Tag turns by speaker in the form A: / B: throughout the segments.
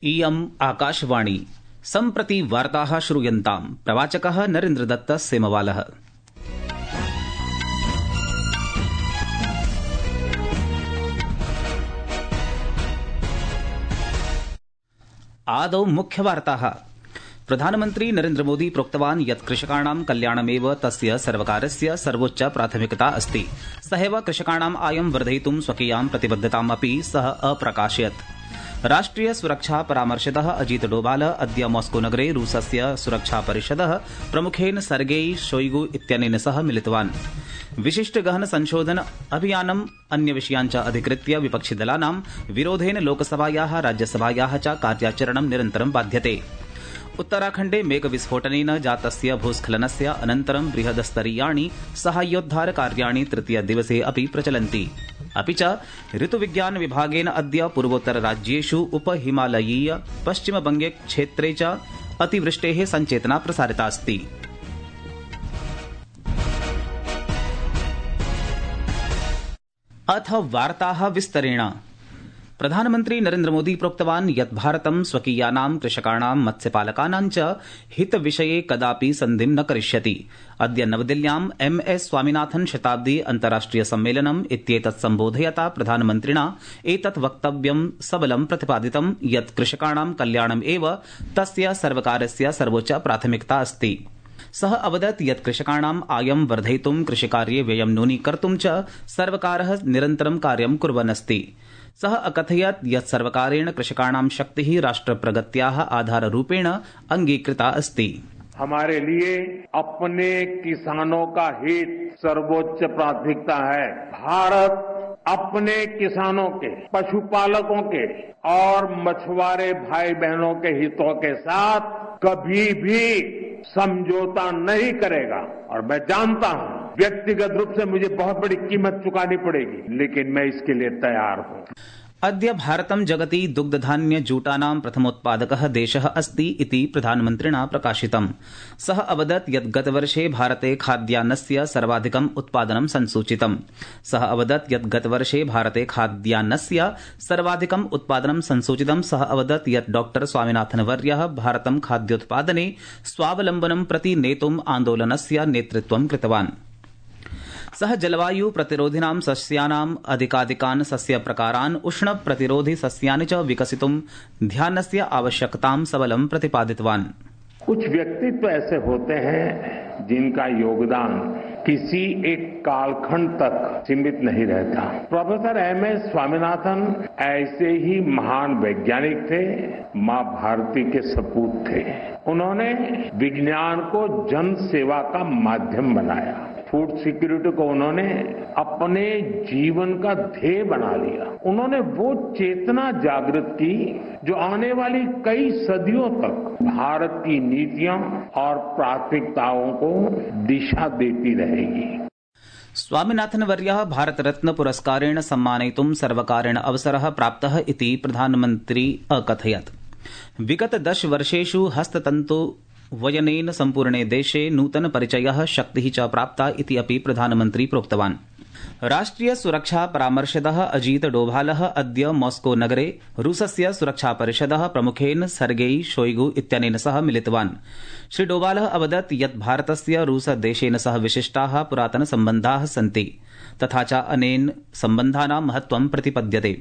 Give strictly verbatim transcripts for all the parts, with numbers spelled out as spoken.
A: इयम् आकाशवाणी सम्प्रति वार्ताः श्रूयन्ताम्। प्रवाचकः नरेन्द्रदत्त सेमवालः। आदौ मुख्यवार्ताः। प्रधानमन्त्री नरेन्द्रमोदी प्रोक्तवान् यत् कृषकाणां कल्याणमेव तस्य सर्वकारस्य सर्वोच्च प्राथमिकता अस्ति। सहैव कृषकाणाम् आयं वर्धयितुं स्वकीयां प्रतिबद्धतामपि सः अप्रकाशयत्। राष्ट्रिय सुरक्षा परामर्शदः अजीत डोभाल अद्य मॉस्को नगरे रूसस्य सुरक्षा परिषदः प्रमुखेन सर्गेई शोइगु इत्यनेन सह मिलितवान्। विशिष्ट गहन संशोधन अभियानम् अन्य विषयान् च अधिकृत्य विपक्षिदलानां विरोधेन लोकसभायाः राज्यसभायाः च कार्याचरणं निरन्तरं बाध्यते। उत्तराखण्डे मेघविस्फोटनेन जातस्य भूस्खलनस्य अनन्तरं बृहदस्तरीयाणि साहाय्योद्धार कार्याणि तृतीय दिवसे अपि प्रचलन्ति। अपि च ऋतुविज्ञान विभागेन अद्य पूर्वोत्तर राज्येषु उपहिमालयीय पश्चिमबंगे क्षेत्रे च अतिवृष्टेः संचेतना प्रसारिता अस्ति। अथ वार्ताः विस्तरेण। प्रधानमन्त्री नरेन्द्रमोदी प्रोक्तवान् यत् भारतं स्वकीयानां कृषकाणां मत्स्यपालकानां च हितविषये कदापि सन्धिं न करिष्यति। अद्य नवदिल्ल्याम् एम एस स्वामिनाथन शताब्दी अन्ताराष्ट्रिय सम्मेलनम् इत्येतत् सम्बोधयता प्रधानमन्त्रिणा एतत् वक्तव्यं सबलं प्रतिपादितं यत् कृषकाणां कल्याणम् एव तस्य सर्वकारस्य सर्वोच्च प्राथमिकता अस्ति। सः अवदत् यत् कृषकाणाम् आयं वर्धयितुं कृषिकार्ये व्ययं न्यूनीकर्तुं च सर्वकारः निरन्तरं कार्यं कुर्वन् अस्ति। सः अकथयत् यत् सर्वकारेण कृषकाणां शक्तिः राष्ट्रप्रगत्याः आधाररूपेण अंगीकृता अस्ति।
B: हमारे लिए अपने किसानों का हित सर्वोच्च प्राथमिकता है। भारत अपने किसानों के, पशुपालकों के और मछुआरे भाई बहनों के हितों के साथ कभी भी समझौता नहीं करेगा। और मैं जानता हूं व्यक्तिगत रूप से मुझे बहुत बड़ी कीमत चुकानी पड़ेगी, लेकिन मैं इसके लिए तैयार हूं।
A: अद्य भारतं जगति दुग्धधान्य जूटानां प्रथमोत्पादकः देशः अस्ति इति प्रधानमन्त्रिणा प्रकाशितम्। सः अवदत् यत् गतवर्षे भारते खाद्यान्नस्य सर्वाधिकम् उत्पादनं संसूचितम्। सः अवदत् यत् गतवर्षे भारते खाद्यान्नस्य सर्वाधिकम् उत्पादनं संसूचितम्। सः अवदत् यत् डॉक्टर स्वामिनाथनवर्यः भारतं खाद्योत्पादने स्वावलम्बनं प्रति नेतुम् आन्दोलनस्य नेतृत्वं कृतवान्। सः जलवायु प्रतिरोधिनां सस्यानाम् अधिकाधिकान् सस्य प्रकारान् उष्ण प्रतिरोधि सस्यानि च विकसितुं ध्यानस्य आवश्यकतां सबलं प्रतिपादितवान्।
B: कुछ व्यक्तित्व ऐसे होते हैं जिनका योगदान किसी एक कालखंड तक सीमित नहीं रहता। प्रोफेसर एम एस स्वामीनाथन ऐसे ही महान वैज्ञानिक थे, मां भारती के सपूत थे। उन्होंने विज्ञान को जन सेवा का माध्यम बनाया। फूड सिक्योरिटी को उन्होंने अपने जीवन का ध्येय बना लिया। उन्होंने वो चेतना जागृत की जो आने वाली कई सदियों तक भारत की नीतियों और प्राथमिकताओं को दिशा देती रहेगी।
A: स्वामिनाथनवर्यः भारतरत्न पुरस्कारेण सम्मानयितुं सर्वकारेण अवसरः प्राप्तः इति प्रधानमन्त्री अकथयत्। विगत दश वर्षेषु हस्ततन्तु वयनेन सम्पूर्णे देशे नूतन परिचयः शक्तिः च प्राप्ता इति अपि प्रधानमन्त्री प्रोक्तवान्। राष्ट्रिय सुरक्षा परामर्शदः अजीत डोभालः अद्य मॉस्को नगरे रूसस्य सुरक्षा परिषदः प्रमुखेन सर्गेई शोइगु इत्यनेन सह मिलितवान्। श्री डोभालः अवदत् यत् भारतस्य रूसदेशेन सह विशिष्टाः पुरातन सम्बन्धाः सन्ति, तथा च अनेन सम्बन्धानां महत्त्वं प्रतिपद्यते।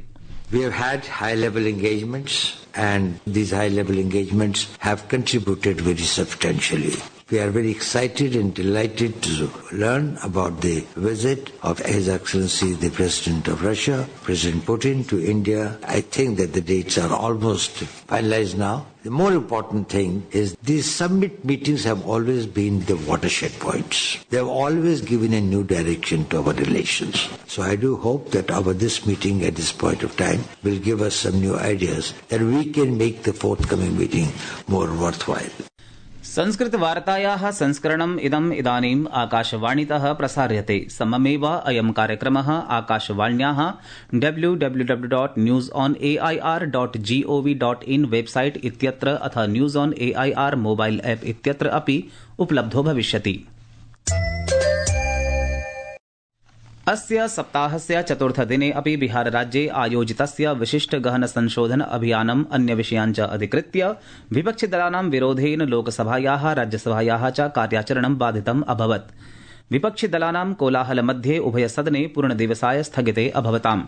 C: We have had high-level engagements, and these high-level engagements have contributed very substantially. We are very excited and delighted to learn about the visit of His Excellency the President of Russia, President Putin, to India. I think that the dates are almost finalized now. The more important thing is these summit meetings have always been the watershed points. They have always given a new direction to our relations. So I do hope that our this meeting at this point of time will give us some new ideas that we can make the forthcoming meeting more worthwhile.
A: संस्कृतवार्तायाः संस्करणम् इदम् इदानीम् आकाशवाणीतः प्रसार्यते। सममेव अयं कार्यक्रमः आकाशवाण्याः W W W dot news on A I R dot G O V dot in website इत्यत्र अथ news on A I R mobile app इत्यत्र अपि उपलब्धो भविष्यति। अस्य सप्ताहस्य चतुर्थदिने अपि बिहारराज्ये आयोजितस्य विशिष्ट गहन संशोधन अभियानम् अन्यविषयान् च अधिकृत्य विपक्षिदलानां विरोधेन लोकसभायाः राज्यसभायाः च कार्याचरणं बाधितम् अभवत्। विपक्षिदलानां कोलाहलमध्ये उभयसदने पूर्णदिवसाय स्थगिते अभवताम्।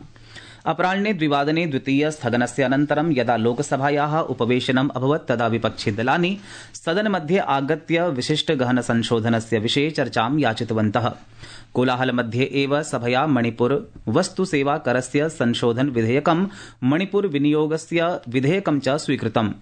A: अपराह्ने द्विवादने द्वितीय स्थगनस्य अनन्तरं यदा लोकसभायाः उपवेशनम् अभवत् तदा विपक्षिदलानि सदनमध्ये आगत्य विशिष्ट गहन संशोधनस्य विषये चर्चां याचितवन्तः। कोलाहलमध्ये एव सभया मणिपुर वस्तु सेवा करस्य संशोधन विधेयकं मणिपुर विनियोगस्य विधेयकं च स्वीकृतम्।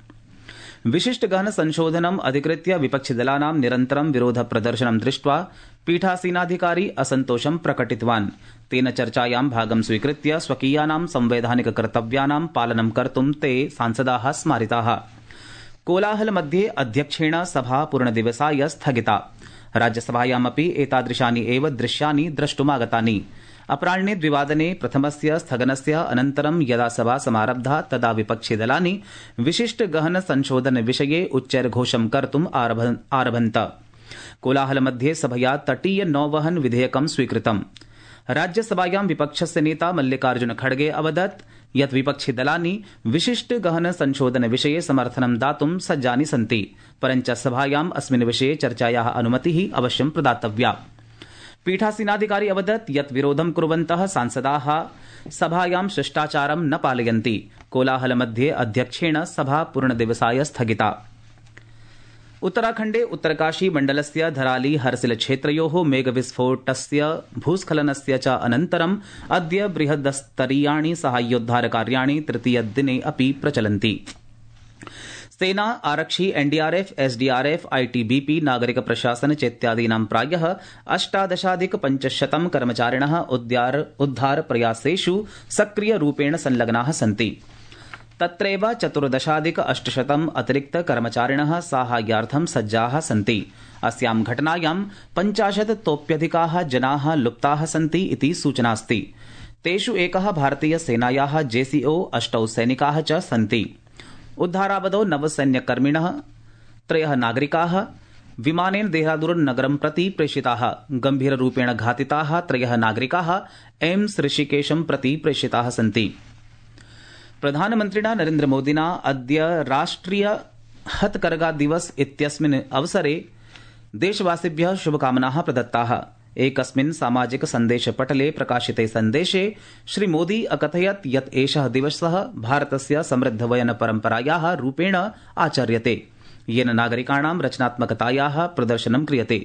A: विशिष्ट गहन संशोधनम् अधिकृत्य विपक्षिदलानां निरन्तरं विरोध प्रदर्शनं दृष्ट्वा पीठासीनाधिकारी असन्तोषं प्रकटितवान्। तेन चर्चायां भागं स्वीकृत्य स्वकीयानां संवैधानिक कर्तव्यानां पालनं कर्तुं ते सांसदाः स्मारिताः। कोलाहलमध्ये अध्यक्षेण सभा पूर्णदिवसाय स्थगिता। राज्यसभायामपि एतादृशानि एव दृश्यानि द्रष्टुमागतानि। अपराह्ने द्विवादने प्रथमस्य स्थगनस्य अनन्तरं यदा सभा समारब्धा तदा विपक्षिदलानि विशिष्ट गहन संशोधन विषये उच्चैर्घोषं कर्तुम् आरभन्त। कोलाहलमध्ये सभया तटीय नौवहन विधेयकं स्वीकृतम्। राज्यसभायां विपक्षस्य नेता मल्लिकार्जुन खड़गे अवदत् यत् विपक्षिदलानि विशिष्ट गहन संशोधन विषये समर्थनं दातुं सज्जानि सन्ति, परञ्च सभायाम् अस्मिन् विषये चर्चायाः अनुमतिः अवश्यं प्रदातव्या। पीठासीनाधिकारी अवदत् यत् विरोधं कुर्वन्तः सांसदाः सभायां शिष्टाचारं न पालयन्ति। कोलाहलमध्ये अध्यक्षेण सभा पूर्णदिवसाय स्थगिता। उत्तराखण्डे उत्तरकाशी मण्डलस्य धराली हरसिल क्षेत्रयोः मेघविस्फोटस्य भूस्खलनस्य च अनन्तरम् अद्य बृहदस्तरीयाणि साहाय्योद्धारकार्याणि तृतीयदिने अपि प्रचलन्ति। सेना, आरक्षि, एनडीआरएफ, एसडीआरएफ, आईटीबीपी, नागरिक प्रशासन चेत्यादीनां प्रायः अष्टादशाधिक पञ्चशतं कर्मचारिणः उद्धार प्रयासेषु सक्रियरूपेण संलग्नाः सन्ति। तत्रैव चतुर्दशाधिक अष्टशतम् अतिरिक्त कर्मचारिणः साहाय्यार्थं सज्जाः सन्ति। अस्यां घटनायां पञ्चाशत्तोप्यधिकाः जनाः लुप्ताः सन्ति इति सूचनास्ति। तेषु एकः भारतीय सेनायाः जेसीओ, अष्टौ सैनिकाः च सन्ति। उद्धारावधौ नवसैन्यकर्मिणः त्रयः नागरिकाः विमानेन देहरादून नगरं प्रति प्रेषिताः। गम्भीररूपेण घातिताः त्रयः नागरिकाः एम्स ऋषिकेशं प्रति प्रेषिताः सन्ति। प्रधानमन्त्रिणा नरेन्द्रमोदिना अद्य राष्ट्रिय हथकरघा दिवस इत्यस्मिन् अवसरे देशवासिभ्यः शुभकामनाः प्रदत्ताः। एकस्मिन् सामाजिक सन्देशपटले प्रकाशिते सन्देशे श्रीमोदी अकथयत् यत् एषः दिवसः भारतस्य समृद्धवयन परम्परायाः रूपेण आचर्यते, येन नागरिकाणां रचनात्मकतायाः प्रदर्शनं क्रियते।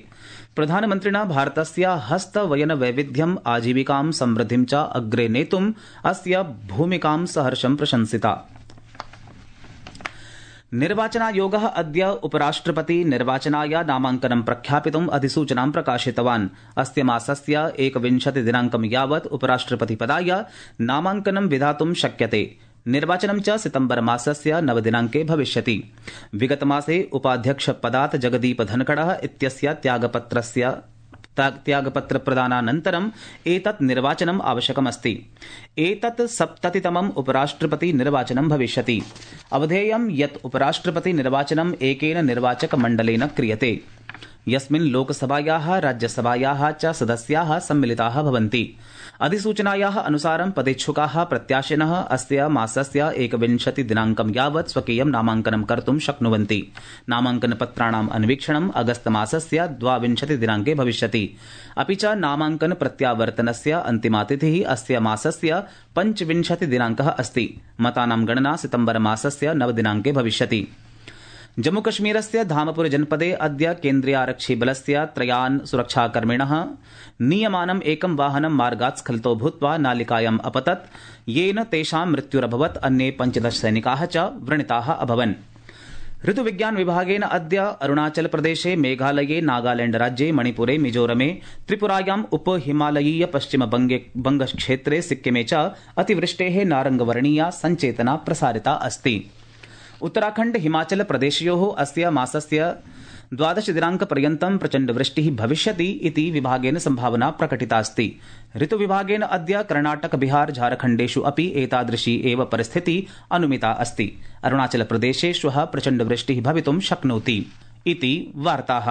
A: प्रधानमन्त्रिणा भारतस्य हस्तवयन वैविध्यम्, आजीविकां, समृद्धिं च अग्रे नेतुम् अस्य भूमिकां सहर्षं प्रशंसिता। निर्वाचनायोगः अद्य उपराष्ट्रपति निर्वाचनाय नामाङ्कनं प्रख्यापितुम् अधिसूचनां प्रकाशितवान्। अस्य मासस्य एकविंशति दिनाङ्कं यावत् उपराष्ट्रपतिपदाय नामाङ्कनं विधातुं शक्यते। निर्वाचनं च सितम्बर मासस्य नवदिनाङ्के भविष्यति। विगतमासे उपाध्यक्षपदात् जगदीप धनखडः इत्यस्य त्यागपत्रस्य त्यागपत्र प्रदानानन्तरम् एतत् निर्वाचनम् आवश्यकमस्ति। एतत् सप्ततितमम् उपराष्ट्रपति निर्वाचनं भविष्यति। अवधेयं यत् उपराष्ट्रपति निर्वाचनम् एकेन निर्वाचक मण्डलेन क्रियते, यस्मिन् लोकसभायाः राज्यसभायाः च सदस्याः सम्मिलिताः भवन्ति। अधिसूचनायाः अनुसारं पदेच्छुकाः प्रत्याशिनः अस्य मासस्य एकविंशति दिनाङ्कं यावत् स्वकीयं नामाङ्कनं कर्तुं शक्नुवन्ति। नामाङ्कनपत्राणाम् अन्वीक्षणम् अगस्त मासस्य द्वाविंशति दिनाङ्के भविष्यति। अपि च नामाङ्कन प्रत्यावर्तनस्य अन्तिमा तिथिः अस्य मासस्य पञ्चविंशति दिनाङ्कः अस्ति। मतानां गणना सितम्बर मासस्य नवदिनाङ्के भविष्यति। जम्मूकश्मीरस्य धामपुर जनपदे अद्य केन्द्रीयारक्षिबलस्य त्रयान् सुरक्षाकर्मिणः नीयमानम् एकं वाहनं मार्गात् स्खलितो भूत्वा नालिकायाम् अपतत्, येन तेषां मृत्युरभवत्। अन्ये पञ्चदश सैनिकाः च व्रणिताः अभवन्। ऋतुविज्ञान विभागेन अद्य अरुणाचल प्रदेशे, मेघालये, नागालैण्ड राज्ये, मणिपुरे, मिजोरमे, त्रिपुरायाम् उप हिमालयीय पश्चिम बंगक्षेत्रे, सिक्किमे च अतिवृष्टेः नारंगवर्णीया संचेतना प्रसारिता अस्ति। उत्तराखण्ड हिमाचल प्रदेशयोः अस्य मासस्य द्वादश दिनाङ्कपर्यन्तं प्रचण्डवृष्टिः भविष्यति इति विभागेन सम्भावना प्रकटितास्ति। ऋतुविभागेन अद्य कर्णाटक, बिहार, झारखण्डेषु अपि एतादृशी एव परिस्थितिः अनुमिता अस्ति। अरुणाचल प्रदेशे श्वः प्रचण्डवृष्टिः भवितुं शक्नोति इति वार्ताः।